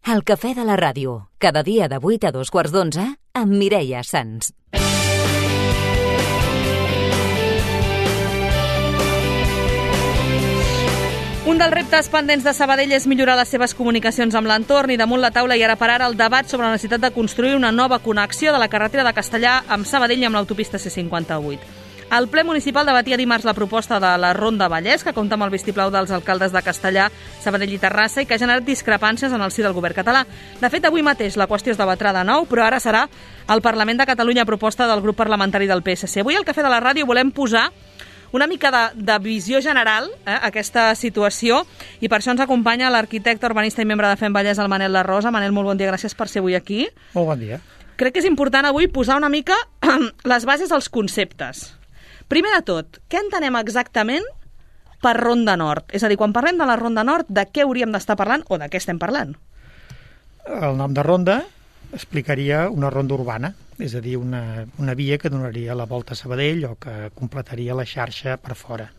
El cafè de la ràdio, cada dia de 8 a 2:15 amb Mireia Sans. Un dels reptes pendents de Sabadell és millorar les seves comunicacions amb l'entorn i damunt la taula i ara per ara el debat sobre la necessitat de construir una nova connexió de la carretera de Castellar amb Sabadell i amb l'autopista C58. El ple municipal debatia dimarts la proposta de la Ronda Vallès, que compta amb el vistiplau dels alcaldes de Castellar, Sabadell i Terrassa i que ha generat discrepàncies en el si del govern català. De fet, avui mateix la qüestió es debatrà de nou, però ara serà al Parlament de Catalunya a proposta del grup parlamentari del PSC. Avui al Cafè de la Ràdio volem posar una mica de visió general a aquesta situació i per això ens acompanya l'arquitecte, urbanista i membre de FEM Vallès, el Manel Larrosa. Manel, molt bon dia, gràcies per ser avui aquí. Molt bon dia. Crec que és important avui posar una mica les bases als conceptes. Primer de tot, què entenem exactament per Ronda Nord? És a dir, quan parlem de la Ronda Nord, de què hauríem d'estar parlant o de què estem parlant? El nom de ronda explicaria una ronda urbana, és a dir, una via que donaria la volta a Sabadell o que completaria la xarxa per fora.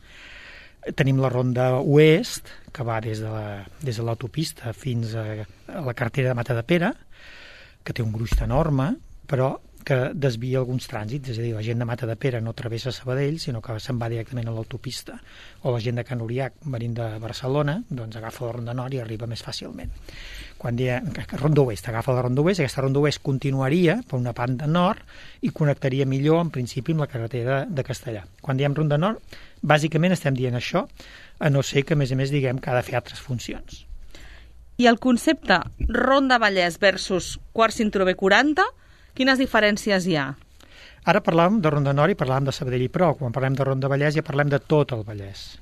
Tenim la ronda oest, que va des de l'autopista fins a la carretera de Matadepera, que té un gruix enorme, però que desvia alguns trànsits, és a dir, la gent de Matadepera no travessa Sabadell, sinó que se'n va directament a l'autopista, o la gent de Can Uriac, venint de Barcelona, doncs agafa la Ronda Nord i arriba més fàcilment. Quan diem Ronda Oest, agafa la Ronda Oest, aquesta Ronda Oest continuaria per una banda nord i connectaria millor, en principi, amb la carretera de Castellar. Quan diem Ronda Nord, bàsicament estem dient això, a no ser que, a més, diguem que ha de fer altres funcions. I el concepte Ronda Vallès versus quart cinturó B40, quines diferències hi ha? Ara parlàvem de Ronda Nord i parlàvem de Sabadell i Prou. Quan parlem de Ronda Vallès ja parlem de tot el Vallès.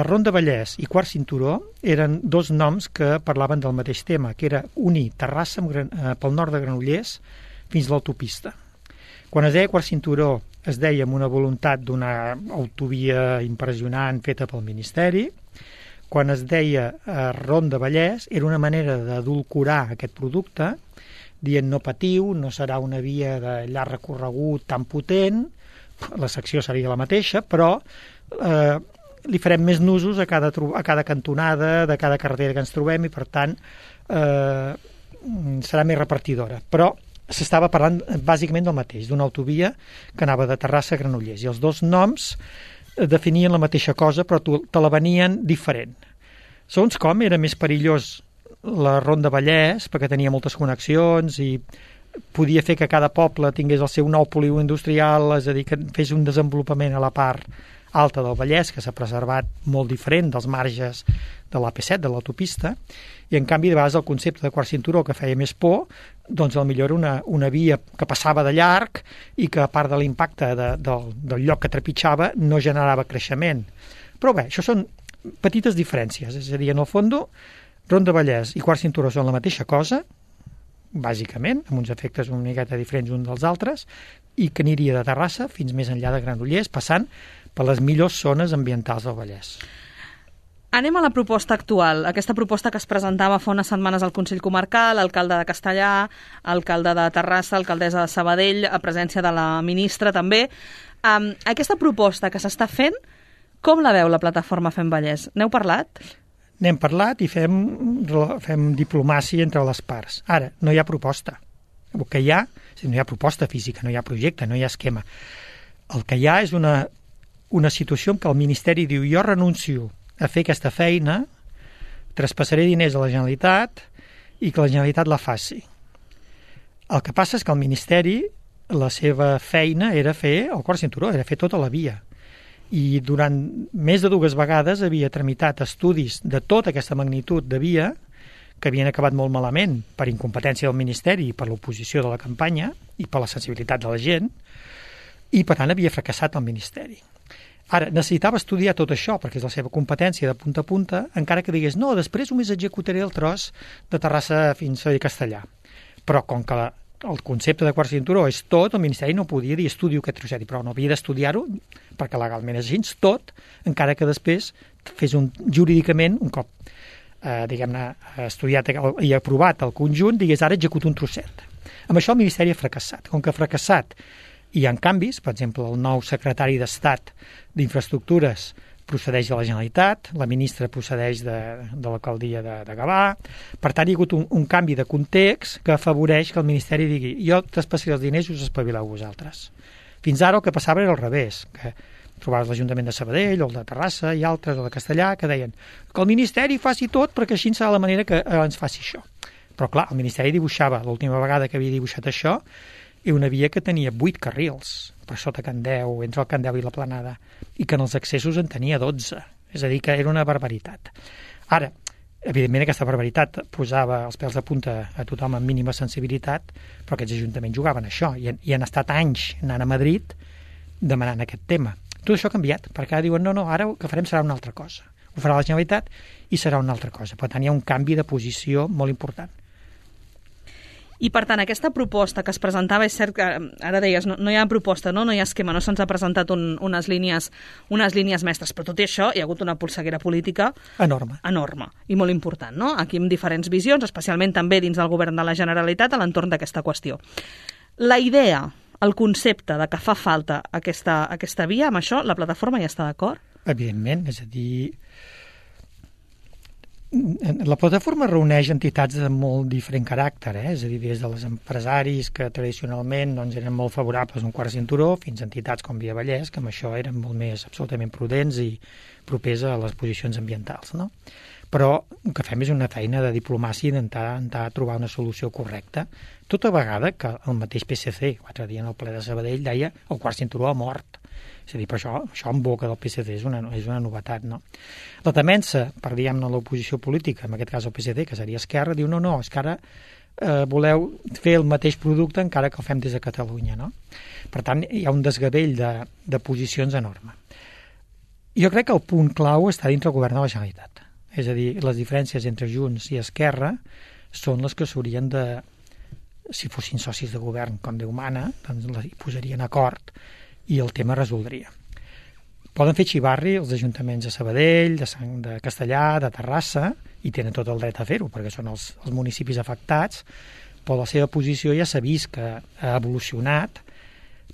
Ronda Vallès i quart cinturó eren dos noms que parlaven del mateix tema, que era unir Terrassa pel nord de Granollers fins a l'autopista. Quan es deia quart cinturó es deia amb una voluntat d'una autovia impressionant feta pel Ministeri. Quan es deia Ronda Vallès era una manera d'adulcorar aquest producte dient no patiu, no serà una via de llarg recorregut tan potent, la secció seria la mateixa, però li farem més nusos a cada cantonada de cada carretera que ens trobem i, per tant, serà més repartidora. Però s'estava parlant bàsicament del mateix, d'una autovia que anava de Terrassa a Granollers, i els dos noms definien la mateixa cosa, però te la venien diferent. Segons com, era més perillós la Ronda Vallès, perquè tenia moltes connexions i podia fer que cada poble tingués el seu nou polígon industrial, és a dir, que fes un desenvolupament a la part alta del Vallès, que s'ha preservat molt diferent dels marges de l'AP7, de l'autopista, i en canvi de vegades el concepte de quart cinturó que feia més por, doncs potser era una via que passava de llarg i que a part de l'impacte del lloc que trepitjava no generava creixement. Però bé, això són petites diferències, és a dir, en el fons Ronda Vallès i quart cinturó són la mateixa cosa, bàsicament, amb uns efectes una miqueta diferents uns dels altres, i que aniria de Terrassa fins més enllà de Granollers, passant per les millors zones ambientals del Vallès. Anem a la proposta actual, aquesta proposta que es presentava fa unes setmanes al Consell Comarcal, alcalde de Castellar, alcalde de Terrassa, alcaldessa de Sabadell, a presència de la ministra també. Aquesta proposta que s'està fent, com la veu la plataforma Fem Vallès? N'heu parlat? N'hem parlat i fem diplomàcia entre les parts. Ara, no hi ha proposta. El que hi ha, no hi ha proposta física, no hi ha projecte, no hi ha esquema. El que hi ha és una situació en què el Ministeri diu jo renuncio a fer aquesta feina, traspassaré diners a la Generalitat i que la Generalitat la faci. El que passa és que el Ministeri, la seva feina era fer el quart cinturó, era fer tota la via. I durant més de 2 vegades havia tramitat estudis de tota aquesta magnitud de via que havien acabat molt malament per incompetència del Ministeri i per l'oposició de la campanya i per la sensibilitat de la gent, i per tant havia fracassat el Ministeri. Ara, necessitava estudiar tot això perquè és la seva competència de punta a punta, encara que digués no, després només executaré el tros de Terrassa fins a Castellar. Però com que el concepte de quart cinturó és tot, el Ministeri no podia dir estudio aquest trosset, però no havia d'estudiar-ho perquè legalment és així tot, encara que després fes jurídicament, un cop estudiat i aprovat el conjunt, digués ara executo un trosset. Amb això el Ministeri ha fracassat. Com que ha fracassat hi ha canvis, per exemple, el nou secretari d'Estat d'Infraestructures procedeix de la Generalitat, la ministra procedeix de l'alcaldia de Gavà. Per tant, hi ha hagut un canvi de context que afavoreix que el Ministeri digui jo t'espassaré els diners i us espavileu vosaltres. Fins ara el que passava era al revés, que trobaves l'Ajuntament de Sabadell, o el de Terrassa i altres, o de Castellà, que deien que el Ministeri faci tot perquè així serà la manera que ens faci això. Però clar, el Ministeri dibuixava, l'última vegada que havia dibuixat això, i una via que tenia 8 carrils per sota Can Deu, entre el Can Deu i la Planada, i que en els accessos en tenia 12. És a dir, que era una barbaritat. Ara, evidentment aquesta barbaritat posava els pèls de punta a tothom amb mínima sensibilitat, però aquests ajuntaments jugaven això i han estat anys anant a Madrid demanant aquest tema. Tot això ha canviat, perquè ara diuen no, ara el que farem serà una altra cosa. Ho farà la Generalitat i serà una altra cosa. Per tant, hi ha un canvi de posició molt important. I, per tant, aquesta proposta que es presentava, és cert que ara deies, no hi ha proposta, no hi ha esquema, no se'ns ha presentat unes línies mestres, però tot i això hi ha hagut una polseguera política enorme i molt important, no? Aquí amb diferents visions, especialment també dins del govern de la Generalitat a l'entorn d'aquesta qüestió. La idea, el concepte de que fa falta aquesta via, amb això la plataforma ja està d'acord? Evidentment, és a dir, la plataforma reuneix entitats de molt diferent caràcter, és a dir, des dels empresaris que tradicionalment eren molt favorables a un quart cinturó, fins a entitats com Via Vallès, que amb això eren molt més absolutament prudents i propers a les posicions ambientals, no? Però el que fem és una feina de diplomàcia i d'intentar trobar una solució correcta, tota vegada que el mateix PSC, l'altre dia en el ple de Sabadell, deia el quart cinturó ha mort. És a dir, per això en boca del PSC és una novetat, no? La temença, per diguem-ne l'oposició política, en aquest cas el PSC, que seria Esquerra, diu no, és que ara voleu fer el mateix producte encara que el fem des de Catalunya, no? Per tant, hi ha un desgavell de posicions enorme. Jo crec que el punt clau està dintre el govern de la Generalitat. És a dir, les diferències entre Junts i Esquerra són les que s'haurien de, si fossin socis de govern, com Déu mana, doncs hi posarien acord i el tema resoldria. Poden fer xivarri els ajuntaments de Sabadell, de Castellà, de Terrassa, i tenen tot el dret a fer-ho, perquè són els municipis afectats, però la seva posició ja s'ha vist que ha evolucionat,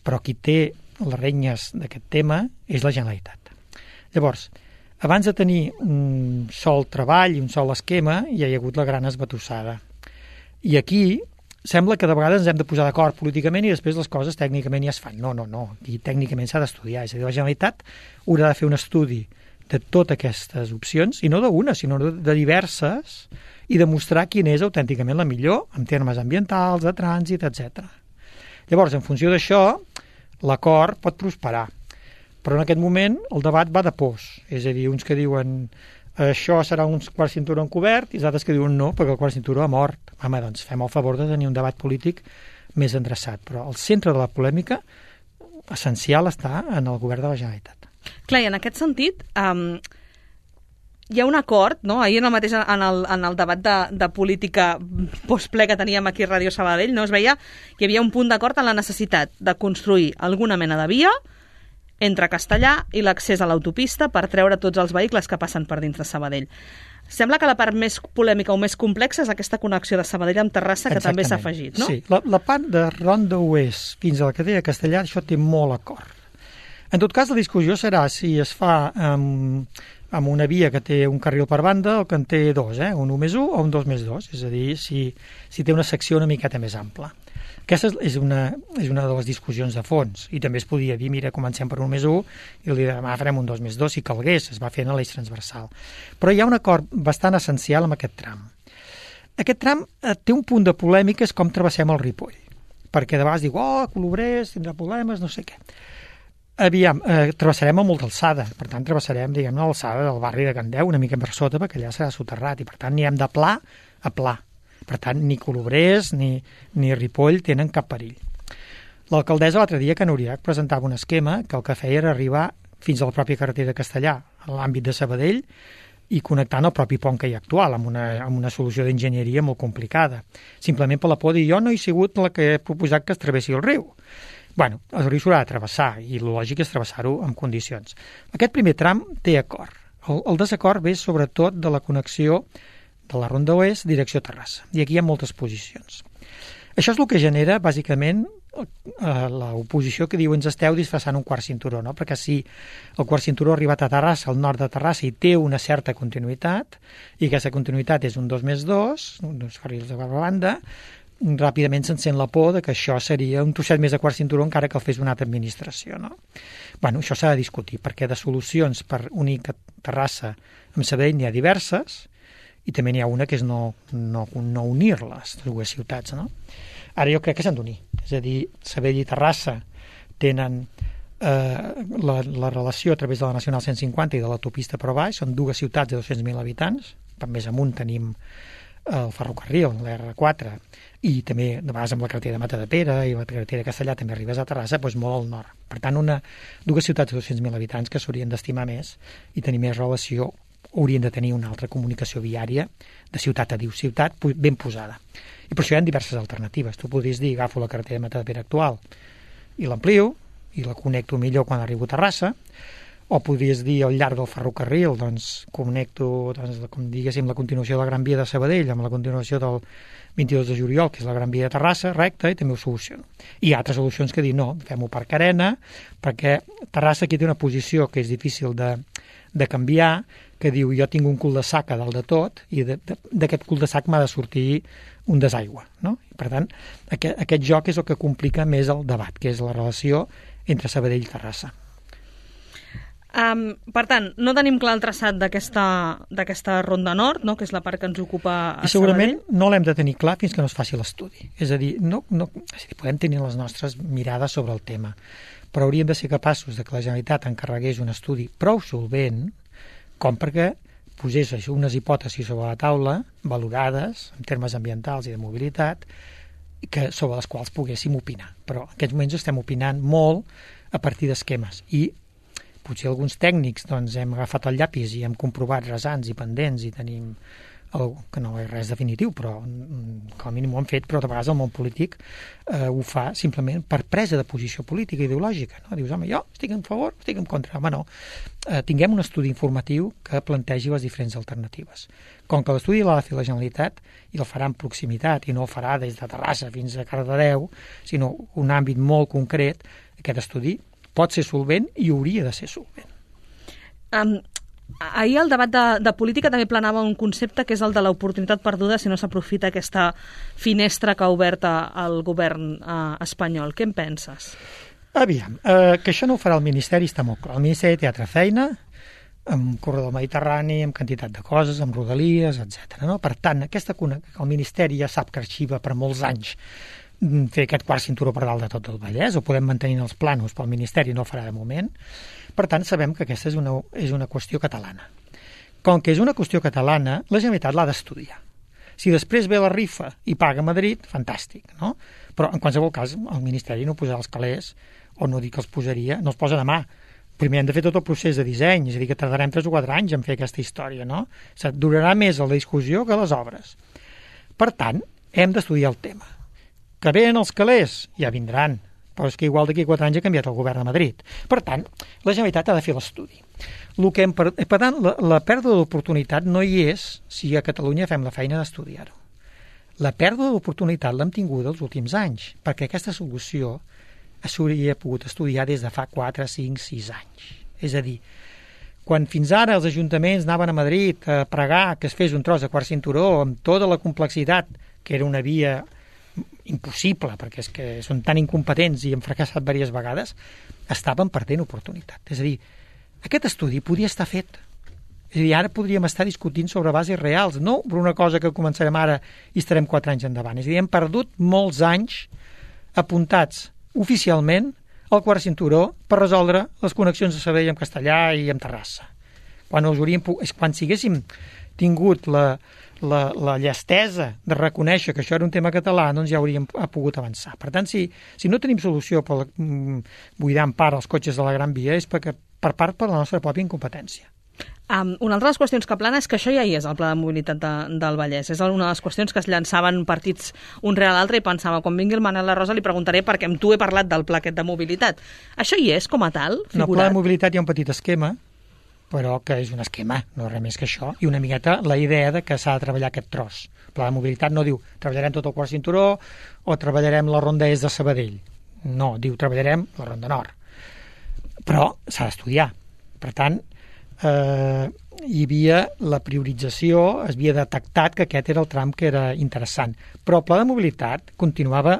però qui té les renyes d'aquest tema és la Generalitat. Llavors, abans de tenir un sol treball i un sol esquema, ja hi ha hagut la gran esbatussada. I aquí sembla que de vegades ens hem de posar d'acord políticament i després les coses tècnicament ja es fan. No. Aquí tècnicament s'ha d'estudiar. És a dir, la Generalitat haurà de fer un estudi de totes aquestes opcions, i no d'una, sinó de diverses, i demostrar quina és autènticament la millor en termes ambientals, de trànsit, etc. Llavors, en funció d'això, l'acord pot prosperar. Però en aquest moment el debat va de pors. És a dir, uns que diuen això serà un quart cinturó encobert i els altres que diuen no, perquè el quart cinturó ha mort. Home, doncs fem el favor de tenir un debat polític més endreçat. Però el centre de la polèmica essencial està en el govern de la Generalitat. Clar, i en aquest sentit, hi ha un acord, no? Ahir en el debat de política postple que teníem aquí a Ràdio Sabadell, no? Es veia que hi havia un punt d'acord en la necessitat de construir alguna mena de via entre Castellà i l'accés a l'autopista per treure tots els vehicles que passen per dins de Sabadell. Sembla que la part més polèmica o més complexa és aquesta connexió de Sabadell amb Terrassa, que també s'ha afegit, no? Sí, la part de Ronda Oest fins a la cadena de Castellà, això té molt acord. En tot cas, la discussió serà si es fa amb una via que té un carril per banda o que en té dos, un 1+1 o un 2+2, és a dir, si té una secció una miqueta més ampla. Aquesta és una de les discussions de fons, i també es podia dir, mira, comencem per 1+1 i demà farem un 2+2 si calgués, es va fent a l'eix transversal. Però hi ha un acord bastant essencial amb aquest tram. Aquest tram té un punt de polèmica, és com travessem el Ripoll, perquè de vegades diu, Colobrers, tindrà problemes, no sé què. Aviam, travessarem a molta alçada, per tant travessarem, diguem-ne, l'alçada del barri de Can Deu, una mica per sota, perquè allà serà soterrat, i per tant anirem de pla a pla. Per tant, ni Colobrers ni Ripoll tenen cap perill. L'alcaldessa l'altre dia, que Nuriac, presentava un esquema que el que feia era arribar fins a la pròpia carretera de Castellà, a l'àmbit de Sabadell, i connectant el propi pont que hi ha actual, amb una solució d'enginyeria molt complicada. Simplement per la por de dir, jo no he sigut la que he proposat que es travessi el riu. Bueno, el riu s'haurà de travessar, i el lògic és travessar-ho en condicions. Aquest primer tram té acord. El desacord ve sobretot de la connexió de la Ronda Oest, direcció Terrassa. I aquí hi ha moltes posicions. Això és el que genera, bàsicament, l'oposició que diu ens esteu disfressant un quart cinturó, no? Perquè si el quart cinturó ha arribat a Terrassa, al nord de Terrassa, i té una certa continuïtat, i aquesta continuïtat és un 2+2, uns carrils de banda, ràpidament s'encén la por de que això seria un trosset més de quart cinturó encara que el fes una altra administració, no? Bueno, això s'ha de discutir, perquè de solucions per unir Terrassa amb Sabadell n'hi ha diverses, i també n'hi ha una que és no unir-les, dues ciutats, no? Ara jo crec que s'han d'unir. És a dir, Sabadell i Terrassa tenen la relació a través de la Nacional 150 i de l'autopista per baix, són dues ciutats de 200.000 habitants, per més amunt tenim el ferrocarril, l'R4, i també de vegades amb la carretera de Matadepera i la carretera de Castellà també arribes a Terrassa, doncs molt al nord. Per tant, dues ciutats de 200.000 habitants que s'haurien d'estimar més i tenir més relació, haurien de tenir una altra comunicació viària de ciutat a ciutat ben posada. I per això hi ha diverses alternatives. Tu podries dir, agafo la carretera de Matadepera actual i l'amplio i la connecto millor quan arribo a Terrassa, o podries dir al llarg del ferrocarril, doncs connecto, com diguéssim, la continuació de la Gran Via de Sabadell amb la continuació del 22 de juliol, que és la Gran Via de Terrassa, recte, i també ho soluciono. I hi ha altres solucions que dir, no, fem-ho per carena, perquè Terrassa aquí té una posició que és difícil de canviar, que diu, jo tinc un cul de sac a dalt de tot, i d'aquest cul de sac m'ha de sortir un desaigua, no? I per tant, aquest joc és el que complica més el debat, que és la relació entre Sabadell i Terrassa. Per tant, no tenim clar el traçat d'aquesta ronda nord, no? Que és la part que ens ocupa a Sabadell. I segurament no l'hem de tenir clar fins que no es faci l'estudi. És a dir, podem tenir les nostres mirades sobre el tema, però hauríem de ser capaços de que la Generalitat encarregués un estudi prou solvent com perquè posés unes hipòtesis sobre la taula, valorades en termes ambientals i de mobilitat, sobre les quals poguéssim opinar. Però en aquests moments estem opinant molt a partir d'esquemes i potser alguns tècnics doncs, hem agafat el llapis i hem comprovat rasants i pendents i tenim que no és res definitiu, però com a mínim ho han fet, però de vegades el món polític ho fa simplement per presa de posició política i ideològica. No? Dius, home, jo estic en favor, estic en contra. Home, no. Tinguem un estudi informatiu que plantegi les diferents alternatives. Com que l'estudi l'ha de fer la Generalitat i el farà en proximitat i no el farà des de Terrassa fins a Cardedeu, sinó un àmbit molt concret, aquest estudi pot ser solvent i hauria de ser solvent. Ahir al debat de política també planava un concepte que és el de l'oportunitat perduda si no s'aprofita aquesta finestra que ha obert el govern espanyol. Què en penses? Aviam, que això no ho farà el Ministeri està molt clar. El Ministeri té altra feina, amb corredor mediterrani, amb quantitat de coses, amb rodalies, etc. No? Per tant, el Ministeri ja sap que arxiva per molts anys fer aquest quart cinturó per dalt de tot el Vallès, ho podem mantenir en els plànols, però el Ministeri no el farà de moment. Per tant, sabem que aquesta és una qüestió catalana. Com que és una qüestió catalana, la Generalitat l'ha d'estudiar. Si després ve la rifa i paga a Madrid, fantàstic, no? Però en qualsevol cas, el Ministeri no posarà els calés, o no dic que els posaria, no els posa demà. Primer hem de fer tot el procés de disseny, és a dir, que tardarem 3 o 4 anys en fer aquesta història, no? Durarà més la discussió que les obres. Per tant, hem d'estudiar el tema. Que venen els calés, ja vindran, però és que igual d'aquí 4 anys ha canviat el govern de Madrid. Per tant, la Generalitat ha de fer l'estudi. Per tant, la pèrdua d'oportunitat no hi és si a Catalunya fem la feina d'estudiar-ho. La pèrdua d'oportunitat l'hem tingut els últims anys, perquè aquesta solució s'hauria pogut estudiar des de fa 4, 5, 6 anys. És a dir, quan fins ara els ajuntaments anaven a Madrid a pregar que es fes un tros de quart cinturó amb tota la complexitat, que era una via impossible, perquè és que són tan incompetents i han fracassat diverses vegades, estaven perdent oportunitat. És a dir, aquest estudi podia estar fet. És a dir, ara podríem estar discutint sobre bases reals, no per una cosa que començarem ara i estarem 4 anys endavant. És a dir, hem perdut molts anys apuntats oficialment al quart cinturó per resoldre les connexions de Sabadell amb Castellà i amb Terrassa. Quan si haguéssim tingut la llestesa de reconèixer que això era un tema català, doncs ja hauríem pogut avançar. Per tant, si no tenim solució per buidar en part els cotxes de la Gran Via és per la nostra pròpia incompetència. Una altra de les qüestions que plana és que això ja hi és, el Pla de Mobilitat del Vallès. És una de les qüestions que es llançaven partits un rere l'altre i pensava, quan vingui el Manel La Rosa li preguntaré perquè amb tu he parlat del pla aquest de mobilitat. Això hi és com a tal, figurat? En el Pla de Mobilitat hi ha un petit esquema, però que és un esquema, no res més que això, i una miqueta la idea de que s'ha de treballar aquest tros. El Pla de Mobilitat no diu treballarem tot el quart cinturó o treballarem la ronda est de Sabadell. No, diu treballarem la Ronda Nord. Però s'ha d'estudiar. Per tant, hi havia la priorització, es havia detectat que aquest era el tram que era interessant. Però el pla de mobilitat continuava,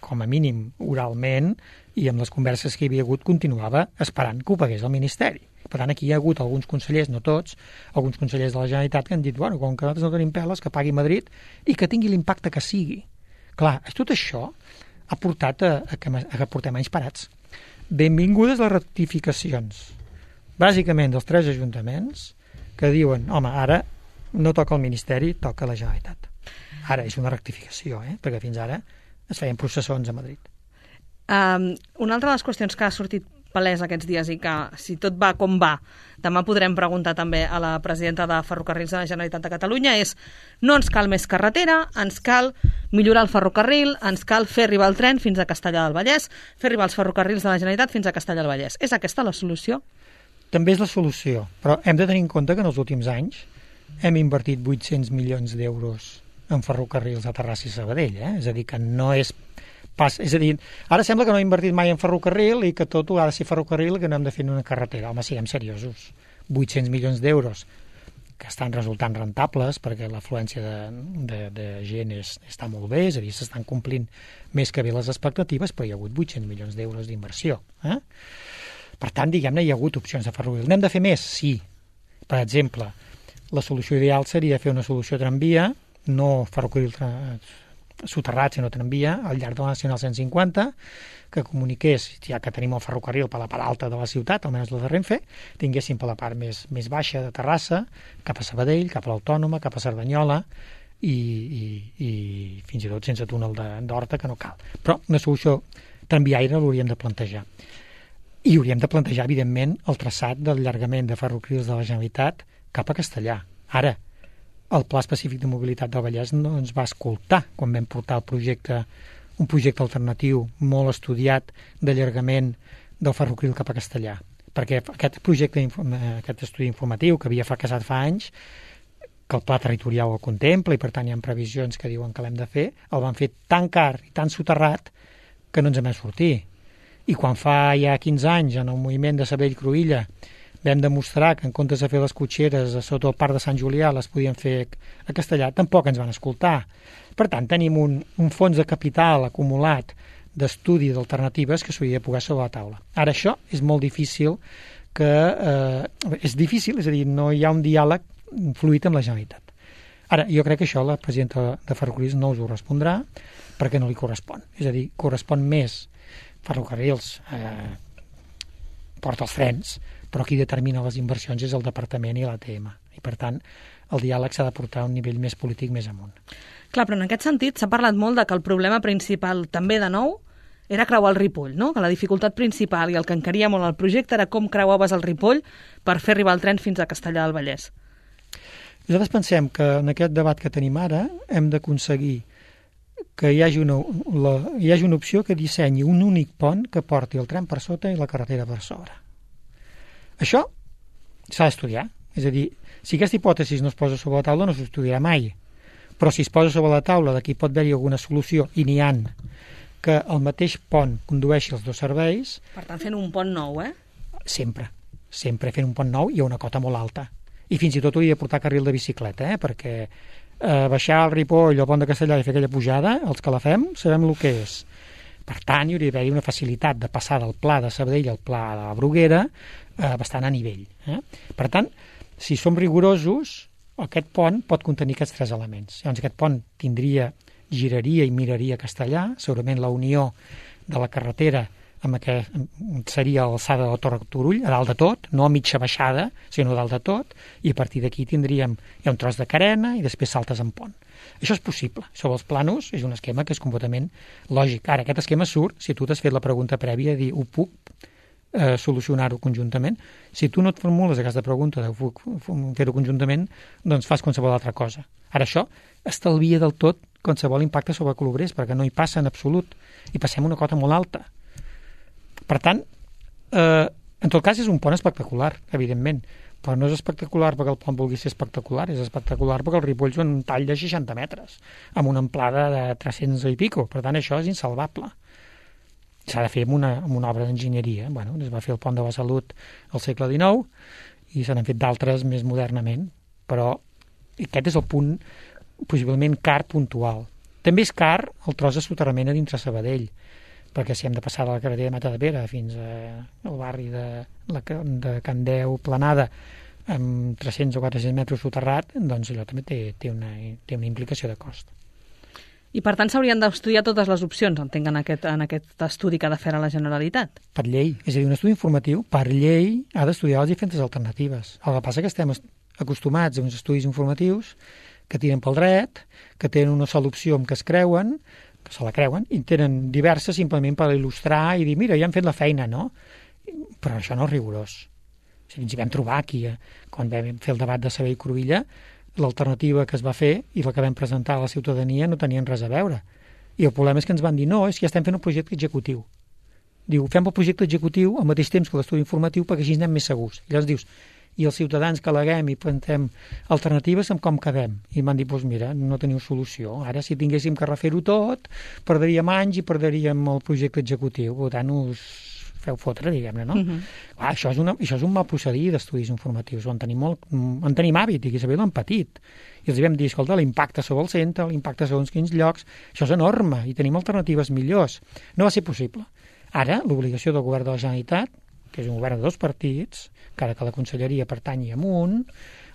com a mínim oralment, i amb les converses que hi havia hagut continuava esperant que ho pagués el Ministeri. Per tant, aquí hi ha hagut alguns consellers, no tots, alguns consellers de la Generalitat que han dit, bueno, com que nosaltres no tenim peles, que pagui Madrid i que tingui l'impacte que sigui. Clar, tot això ha portat a que portem anys parats. Benvingudes les rectificacions, bàsicament dels 3 ajuntaments que diuen, home, ara no toca el Ministeri, toca la Generalitat. Ara és una rectificació, perquè fins ara es feien processons a Madrid. Una altra de les qüestions que ha sortit palès aquests dies i que, si tot va com va, demà podrem preguntar també a la presidenta de Ferrocarrils de la Generalitat de Catalunya és no ens cal més carretera, ens cal millorar el ferrocarril, ens cal fer arribar el tren fins a Castellar del Vallès, fer arribar els ferrocarrils de la Generalitat fins a Castellar del Vallès. És aquesta la solució? També és la solució, però hem de tenir en compte que en els últims anys hem invertit 800 milions d'euros en ferrocarrils a Terrassa i Sabadell, És a dir, que no és pas... És a dir, ara sembla que no he invertit mai en ferrocarril i que tot ha de ser ferrocarril i que no hem de fer una carretera. Home, siguem seriosos. 800 milions d'euros que estan resultant rentables perquè l'afluència de gent està molt bé, és a dir, s'estan complint més que bé les expectatives, però hi ha hagut 800 milions d'euros d'inversió. Per tant, diguem-ne, hi ha hagut opcions de ferrocarril. N'hem de fer més? Sí. Per exemple, la solució ideal seria fer una solució tramvia, no ferrocarril soterrat, sinó tramvia, al llarg de la Nacional 150, que comuniqués, ja que tenim el ferrocarril per la part alta de la ciutat, almenys la de Renfe, tinguéssim per la part més baixa de Terrassa, cap a Sabadell, cap a l'Autònoma, cap a Cerdanyola, i fins i tot sense túnel d'Horta, que no cal. Però una solució tramviaire l'hauríem de plantejar. I hauríem de plantejar, evidentment, el traçat del llargament de ferrocarrils de la Generalitat cap a Castellar. Ara, el Pla Específic de Mobilitat del Vallès no ens va escoltar quan vam portar un projecte alternatiu molt estudiat d'allargament del ferrocarril cap a Castellar. Perquè aquest estudi informatiu que havia fracassat fa anys, que el pla territorial el contempla i per tant hi ha previsions que diuen que l'hem de fer, el van fer tan car i tan soterrat que no ens en vam sortir. I quan fa ja 15 anys, en el moviment de Sabadell-Cruïlla, vam demostrar que en comptes de fer les cotxeres sota el Parc de Sant Julià les podien fer a Castellar, tampoc ens van escoltar. Per tant, tenim un fons de capital acumulat d'estudi d'alternatives que s'hauria de posar sobre la taula. Ara, això és molt difícil és a dir, no hi ha un diàleg fluid amb la Generalitat. Ara, jo crec que això la presidenta de Ferrocarrils no us ho respondrà perquè no li correspon. És a dir, correspon més Ferrocarrils, porta els trens, però qui determina les inversions és el Departament i l'ATM. I, per tant, el diàleg s'ha de portar a un nivell més polític més amunt. Clar, però en aquest sentit s'ha parlat molt de que el problema principal, també de nou, era creuar el Ripoll, no? Que la dificultat principal i el que encaria molt el projecte era com creuaves el Ripoll per fer arribar el tren fins a Castellar del Vallès. Nosaltres pensem que en aquest debat que tenim ara hem d'aconseguir que hi hagi una opció que dissenyi un únic pont que porti el tren per sota i la carretera per sobre. Això s'ha d'estudiar. És a dir, si aquesta hipòtesi no es posa sobre la taula no s'estudiarà mai. Però si es posa sobre la taula de que hi pot haver-hi alguna solució, i n'hi han, que el mateix pont condueixi els dos serveis... Per tant, fent un pont nou, Sempre fent un pont nou i a una cota molt alta. I fins i tot hauria de portar carril de bicicleta, perquè baixar el Ripoll o el pont de Castellar i fer aquella pujada, els que la fem sabem el que és. Per tant, hi hauria d'haver una facilitat de passar del pla de Sabadell al pla de la Bruguera bastant a nivell. Per tant, si som rigorosos, aquest pont pot contenir aquests 3 elements. Llavors, aquest pont giraria i miraria Castellar, segurament la unió de la carretera amb què seria l'alçada de la Torre Turull, a dalt de tot, no a mitja baixada, sinó a dalt de tot, i a partir d'aquí hi ha un tros de carena i després saltes en pont. Això és possible. Sobre els planos és un esquema que és completament lògic. Ara, aquest esquema surt si tu t'has fet la pregunta prèvia de dir, ho puc solucionar-ho conjuntament? Si tu no et formules aquesta pregunta de puc fer-ho conjuntament, doncs fas qualsevol altra cosa. Ara, això estalvia del tot qualsevol impacte sobre Colobrers, perquè no hi passa en absolut, i passem una cota molt alta. Per tant, en tot cas és un pont espectacular, evidentment, però no és espectacular perquè el pont vulgui ser espectacular, és espectacular perquè el Ripoll és un tall de 60 metres, amb una amplada de 300 i pico, per tant això és insalvable. S'ha de fer amb una obra d'enginyeria. Bueno, es va fer el pont de la Salut al segle XIX i se n'han fet d'altres més modernament, però aquest és el punt possiblement car puntual. També és car el tros de soterrament a dintre Sabadell, perquè si hem de passar de la carretera de Matadepera fins al barri de Can Deu, Planada, amb 300 o 400 metres soterrat, doncs allò també té una implicació de cost. I, per tant, s'haurien d'estudiar totes les opcions, entenc, en aquest estudi que ha de fer a la Generalitat. Per llei. És a dir, un estudi informatiu, per llei, ha d'estudiar les diferents alternatives. El que passa que estem acostumats a uns estudis informatius que tiren pel dret, que tenen una sola opció amb què se la creuen, i tenen diverses simplement per il·lustrar i dir, mira, ja han fet la feina, no? Però això no és rigorós. Si ens hi vam trobar aquí, quan vam fer el debat de Sabadell-Cruïlla, l'alternativa que es va fer i la que vam presentar a la ciutadania no tenien res a veure. I el problema és que ens van dir, no, és que ja estem fent un projecte executiu. Diu, fem el projecte executiu al mateix temps que l'estudi informatiu perquè així anem més segurs. I llavors dius, i els ciutadans que aleguem i presentem alternatives amb com quedem? I m'han dit, doncs mira, no teniu solució. Ara, si tinguéssim que refer-ho tot, perdríem anys i perdríem el projecte executiu. Per tant, us feu fotre, diguem-ne, no? Clar, això és un mal procedir d'estudis informatius. En tenim hàbit, i que Isabel l'han patit. I els vam dir, escolta, l'impacte sobre el centre, l'impacte segons quins llocs, això és enorme, i tenim alternatives millors. No va ser possible. Ara, l'obligació del govern de la Generalitat, que és un govern de 2 partits, encara que la conselleria pertanyi a un,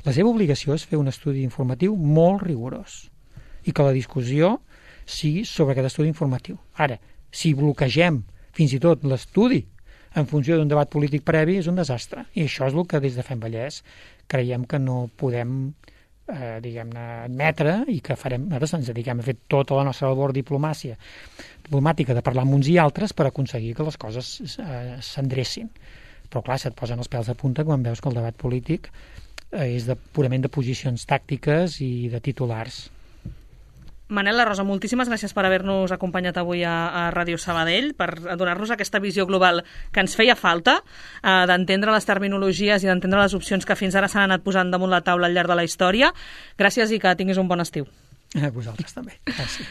la seva obligació és fer un estudi informatiu molt rigorós i que la discussió sigui sobre aquest estudi informatiu. Ara, si bloquegem fins i tot l'estudi en funció d'un debat polític previ, és un desastre. I això és el que des de Fem Vallès creiem que no podem admetre i que farem. Nosaltres ens dediquem a fer tota la nostra labor diplomàtica de parlar amb uns i altres per aconseguir que les coses s'endrecin. Però clar, se't posen els pèls de punta quan veus que el debat polític és purament de posicions tàctiques i de titulars. Manel La Rosa, moltíssimes gràcies per haver-nos acompanyat avui a Ràdio Sabadell, per donar-nos aquesta visió global que ens feia falta, d'entendre les terminologies i d'entendre les opcions que fins ara s'han anat posant damunt la taula al llarg de la història. Gràcies i que tinguis un bon estiu. A vosaltres també. Gràcies.